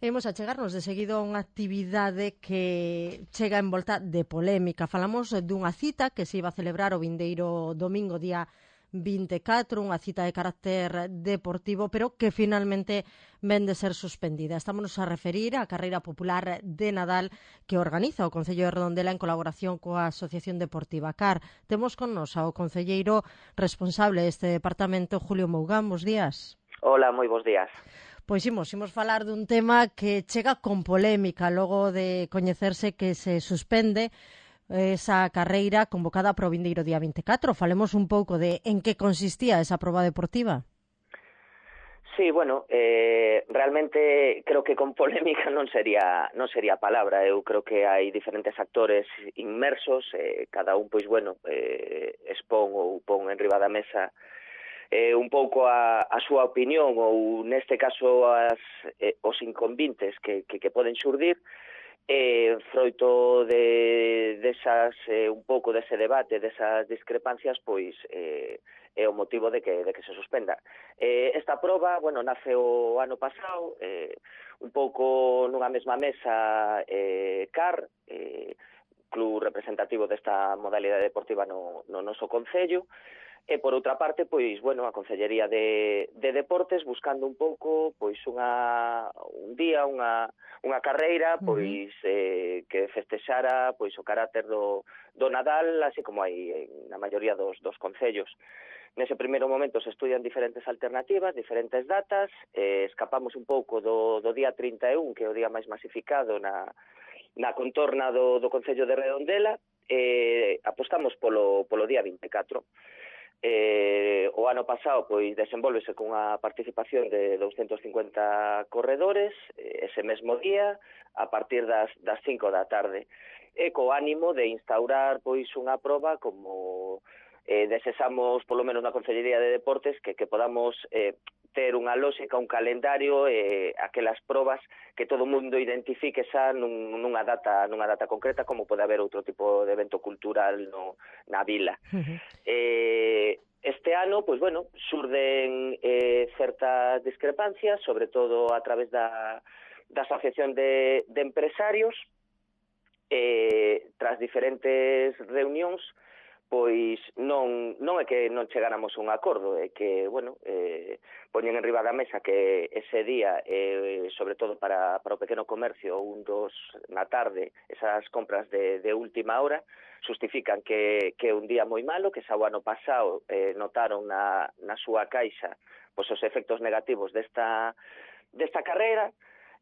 Imos a chegarnos de seguido a unha actividade que chega envolta de polémica. Falamos dunha cita que se iba a celebrar o vindeiro domingo, día 24, unha cita de carácter deportivo, pero que finalmente ven de ser suspendida. Estamos a referir á carreira popular de Nadal que organiza o Concello de Redondela en colaboración coa Asociación Deportiva CAR. Temos con nos ao concelleiro responsable deste departamento, Julio Mougán. Bos días. Hola, moi bons días. Pois imos falar dun tema que chega con polémica logo de coñecerse que se suspende esa carreira convocada para o vindeiro día 24. Falemos un pouco de en que consistía esa proba deportiva. Sí, bueno, realmente creo que con polémica non sería a palabra. Eu creo que hai diferentes actores inmersos, cada un, pois, bueno, expón ou pon en riba da mesa un pouco a súa opinión ou, neste caso, os inconvintes que poden xurdir, froito desas, un pouco dese debate, desas discrepancias, pois é o motivo de que se suspenda. Esta proba, bueno, nace o ano pasado, un pouco nunha mesma mesa CAR, club representativo desta modalidade deportiva no noso concello. E, por outra parte, pois, bueno, a Concellería de Deportes buscando un pouco, pois, un día, unha carreira, pois, que festexara, pois, o carácter do Nadal, así como hai na maioría dos concellos. Nese primeiro momento se estudian diferentes alternativas, diferentes datas, escapamos un pouco do día 31, que é o día máis masificado na contorna do Concello de Redondela, apostamos polo día 24. O ano pasado, pois, desenvolvese cunha participación de 250 corredores ese mesmo día a partir das 5 da tarde, e co ánimo de instaurar, pois, unha proba como desexamos, polo menos na Concellería de Deportes, que podamos ter unha lógica, un calendario, aquelas probas que todo o mundo identifique xa nunha data concreta, como pode haber outro tipo de evento cultural na vila. Este ano, pois, bueno, xurden certas discrepancias, sobre todo a través da Asociación de Empresarios, tras diferentes reunións, pois non é que non chegáramos a un acordo, é que, bueno, poñen en riba da mesa que ese día, sobre todo para o pequeno comercio, na tarde, esas compras de última hora, justifican que é un día moi malo, que xa o ano pasado notaron na súa caixa pois os efectos negativos desta carreira.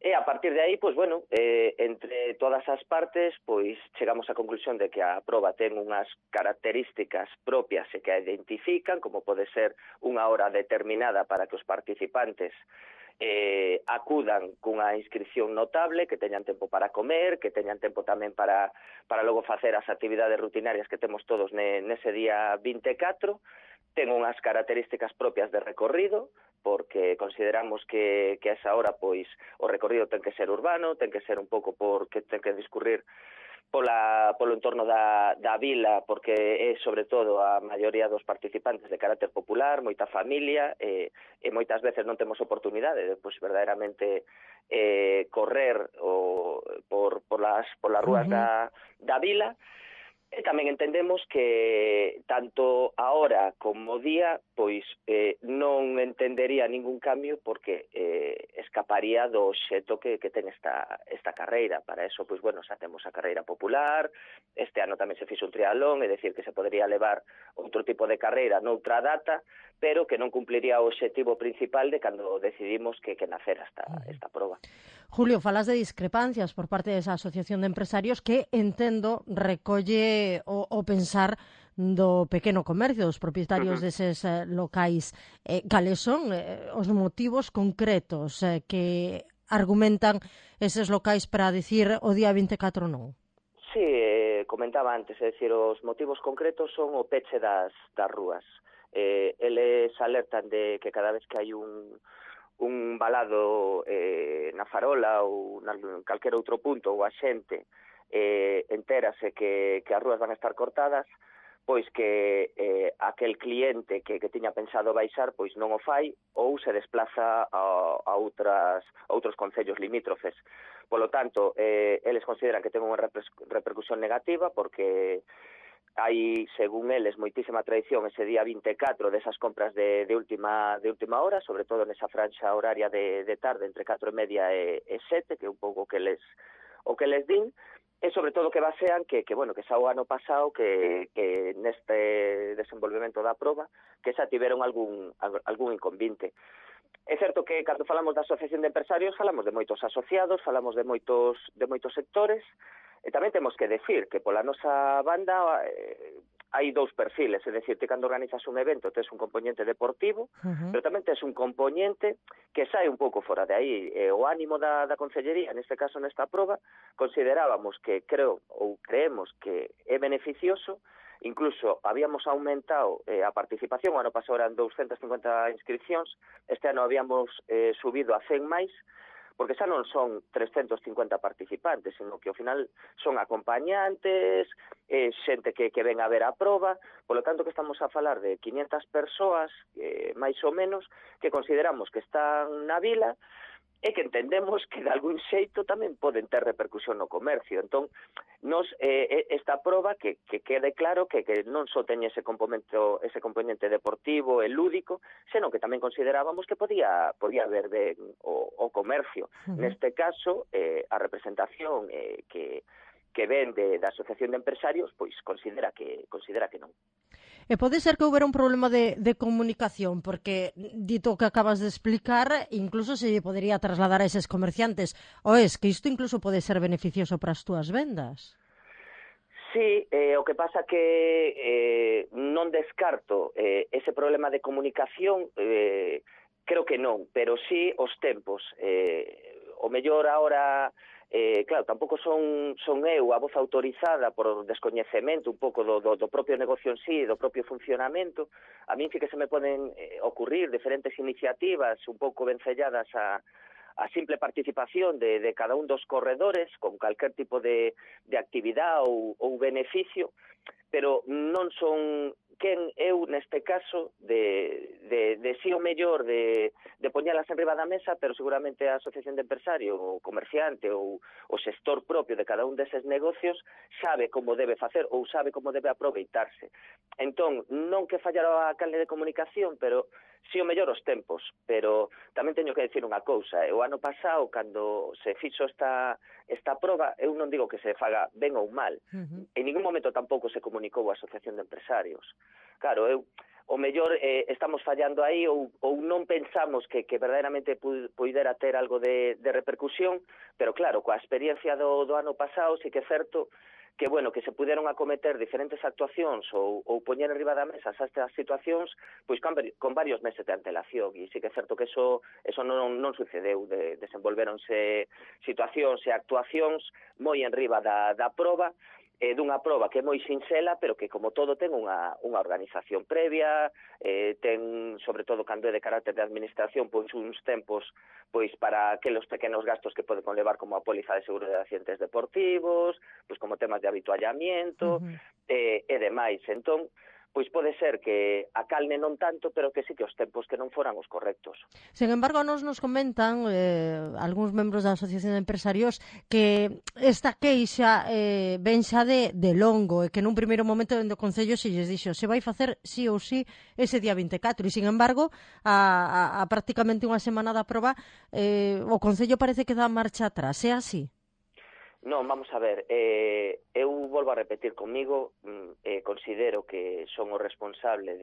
E a partir de aí, pois, bueno, entre todas as partes, pois, chegamos á conclusión de que a proba ten unhas características propias e que a identifican, como pode ser unha hora determinada para que os participantes acudan cunha inscripción notable, que teñan tempo para comer, que teñan tempo tamén para logo facer as actividades rutinarias que temos todos nese día 24, ten unhas características propias de recorrido, porque consideramos que a esa hora, pois, o recorrido ten que ser urbano, ten que ser un pouco porque ten que discurrir polo entorno da vila, porque é, sobre todo, a maioría dos participantes de carácter popular, moita familia, e moitas veces non temos oportunidade de, pois, verdadeiramente correr polas rúas da vila. E tamén entendemos que tanto a hora como o día, pois, non entendería ningún cambio porque escaparía do xeto que ten esta carreira. Para eso, pois, bueno, xa temos a carreira popular, este ano tamén se fixo un triatlón, é dicir, que se podería levar outro tipo de carreira noutra data, pero que non cumpliría o obxectivo principal de cando decidimos que nacera esta proba. Julio, falas de discrepancias por parte desa Asociación de Empresarios que, entendo, recolle o pensar do pequeno comercio, dos propietarios deses locais. Cales son os motivos concretos que argumentan eses locais para dicir o día 24 non? Sí, comentaba antes, é dicir, os motivos concretos son o peche das rúas. Eles alertan de que cada vez que hai un balado na farola ou en calquer outro punto ou a xente entérase que as rúas van a estar cortadas, pois que aquel cliente que tiña pensado baixar pois non o fai ou se desplaza a outros concellos limítrofes. Polo tanto, eles consideran que ten unha repercusión negativa porque hai, según eles, moitísima tradición ese día 24 desas compras de última hora, sobre todo nesa franxa horaria de tarde entre 4:30 e 7, que é un pouco o que les din, e sobre todo que basean que xa o ano pasado que neste desenvolvemento da proba que xa tiveron algún inconvinte. É certo que cando falamos da Asociación de Empresarios falamos de moitos asociados, falamos de moitos sectores, e tamén temos que decir que pola nosa banda hai dous perfiles, é dicir, que cando organizas un evento tes un componente deportivo, pero tamén tes un componente que sai un pouco fora de aí. O ánimo da Consellería, neste caso nesta proba, considerábamos que creemos que é beneficioso, incluso habíamos aumentado a participación, o ano pasado eran 250 inscripcións, este ano habíamos subido a 100 máis, porque xa non son 350 participantes, sino que ao final son acompañantes, xente que ven a ver a proba, polo tanto que estamos a falar de 500 persoas, máis ou menos, que consideramos que están na vila e que entendemos que de algún xeito tamén poden ter repercusión no comercio. Entón, nos esta proba que quede claro que non só teñe ese componente deportivo e lúdico, senón que tamén considerábamos que podía haber ben o comercio. Neste caso, a representación que ven da Asociación de Empresarios, pois considera que non. E pode ser que houbera un problema de comunicación, porque dito que acabas de explicar, incluso se podería trasladar a eses comerciantes. O es que isto incluso pode ser beneficioso para as túas vendas? Sí, o que pasa que non descarto ese problema de comunicación, creo que non, pero sí os tempos. O mellor ahora... claro, tampouco son eu a voz autorizada por descoñecemento un pouco do propio negocio en sí, do propio funcionamento. A min sí que se me poden ocurrir diferentes iniciativas un pouco vencelladas a simple participación de cada un dos corredores con calquer tipo de actividade ou beneficio, pero non son quen eu neste caso de si o mellor de poñelas en riba da mesa, pero seguramente a Asociación de Empresario, o comerciante ou o xestor propio de cada un deses negocios sabe como debe facer ou sabe como debe aproveitarse. Entón, non que fallara a canle de comunicación, pero si o mellor os tempos. Pero tamén teño que decir unha cousa, o ano pasado, cando se fixo esta proba, eu non digo que se faga ben ou mal, en ningún momento tampouco se comunicou a Asociación de Empresarios. Claro, o mellor estamos fallando aí ou non pensamos que verdadeiramente puidera ter algo de repercusión, pero claro, coa experiencia do ano pasado sí que é certo que que se puderon acometer diferentes actuacións ou poñer en riba da mesa estas situacións pois con varios meses de antelación, e sí que é certo que eso non sucedeu, desenvolveronse situacións e actuacións moi en riba da proba, dunha proba que é moi sinxela, pero que como todo ten unha organización previa, ten, sobre todo cando é de carácter de administración, pois uns tempos pois para aqueles pequenos gastos que pode conlevar como a póliza de seguro de accidentes deportivos, pois como temas de habituallamiento e demais. Entón, pois pode ser que a calne non tanto, pero que sí que os tempos que non foran os correctos. Sen embargo, nos comentan algúns membros da Asociación de Empresarios que esta queixa ven xa de longo, e que nun primeiro momento dentro do Concello se lles dixo se vai facer sí ou sí ese día 24, e sin embargo, a prácticamente unha semana da proba, o Concello parece que dá marcha atrás. É así? Non, vamos a ver, eu volvo a repetir comigo, considero que son o responsable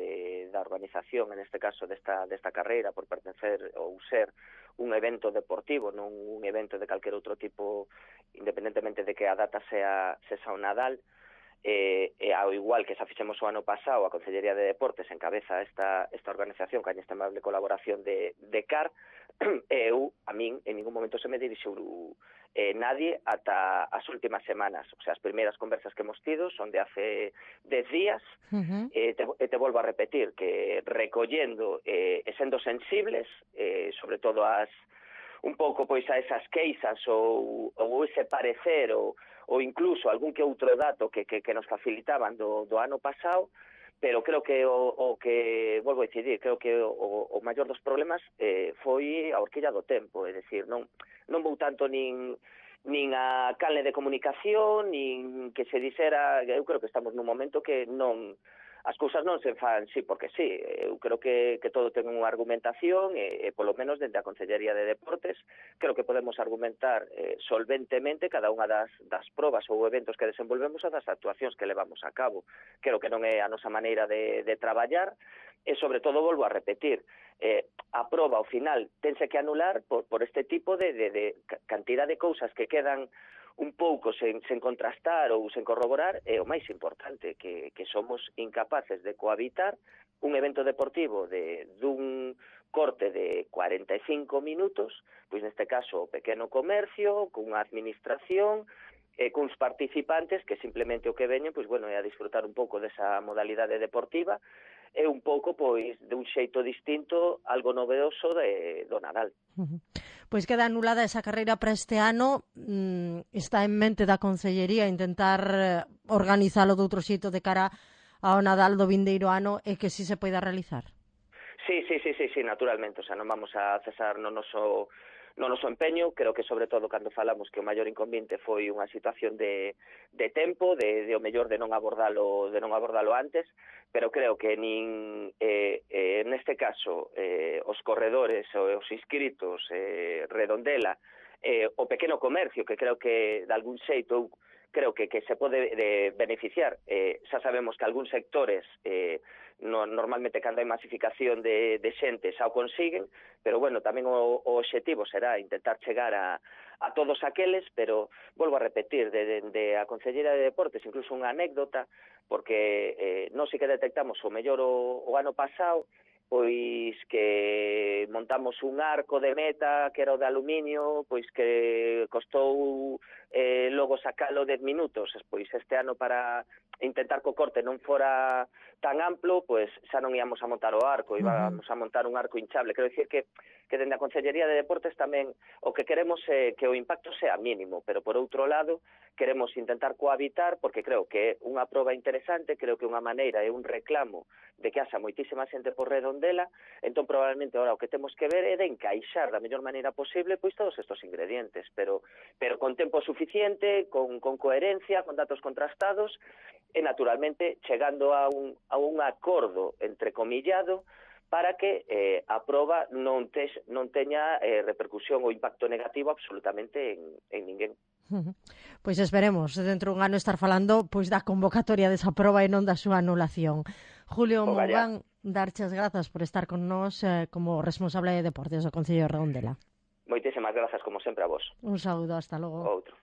da organización, en este caso desta carreira, por pertencer ou ser un evento deportivo, non un evento de calquer outro tipo, independentemente de que a data sea o Nadal, ao igual que xa fixemos o ano pasado, a Consellería de Deportes encabeza esta organización con a inestimable colaboración de CAR, a min en ningún momento se me dirixou nadie ata as últimas semanas. O sea, as primeiras conversas que hemos tido son de hace 10 días, e te volvo a repetir que recollendo e sendo sensibles, sobre todo un pouco pois a esas queixas ou ese parecer ou incluso algún que outro dato que nos facilitaban do ano pasado, pero creo que o que, volvo a decidir, creo que o maior dos problemas foi a horquilla do tempo, é dicir, non vou tanto nin a canle de comunicación, nin que se dixera, eu creo que estamos nun momento que non, as cousas non se fan sí porque sí, eu creo que todo ten unha argumentación e polo menos dende a Consellería de Deportes creo que podemos argumentar solventemente cada unha das probas ou eventos que desenvolvemos e das actuacións que levamos a cabo. Creo que non é a nosa maneira de traballar e sobre todo volvo a repetir, a proba ao final tense que anular por este tipo de cantidad de cousas que quedan un pouco sen contrastar ou sen corroborar, é o máis importante, que somos incapaces de cohabitar un evento deportivo dun corte de 45 minutos, pois neste caso o pequeno comercio, cunha administración, cuns participantes que simplemente o que veñen, pois bueno, é a disfrutar un pouco desa modalidade deportiva, é un pouco, pois, dun xeito distinto, algo novedoso do Nadal. Pois queda anulada esa carreira para este ano. Está en mente da Consellería intentar organizalo de outro xeito de cara ao Nadal do vindeiro ano e que si se poida realizar? Sí, naturalmente, o sea, non vamos a cesar no noso empeño. Creo que sobre todo cando falamos que o maior inconveniente foi unha situación de tempo, de o mellor de non abordalo antes, pero creo que neste caso os corredores, os inscritos, Redondela, o pequeno comercio, que creo que de algún xeito creo que se pode beneficiar. Xa sabemos que algúns sectores normalmente cando hai masificación de xente xa o consiguen, pero bueno, tamén o obxectivo será intentar chegar a todos aqueles, pero volvo a repetir, de a Conselleira de Deportes, incluso unha anécdota, porque non sei que detectamos o mellor o ano pasado, pois que montamos un arco de meta que era o de aluminio, pois que costou logo sacalo 10 minutos, pois este ano para intentar que o corte non fora tan amplo, pois xa non íamos a montar o arco, íbamos a montar un arco hinchable. Quero dicir que dende a Consellería de Deportes tamén o que queremos é que o impacto sea mínimo, pero por outro lado queremos intentar cohabitar, porque creo que é unha proba interesante, creo que unha maneira é un reclamo de que haxa moitísima xente por Redondela, entón probablemente ahora o que temos que ver é de encaixar da mellor maneira posible pois todos estos ingredientes, pero con tempo suficiente, con coherencia, con datos contrastados e naturalmente chegando a un acordo entrecomillado para que a proba non teña repercusión ou impacto negativo absolutamente en ninguén. Pois esperemos dentro dun ano estar falando pois da convocatoria desa proba e non da súa anulación. Julio Mouván, darche as grazas por estar con nós como responsable de deportes do Concello de Redondela. Moitísimas grazas como sempre a vos. Un saúdo, hasta logo. Outro.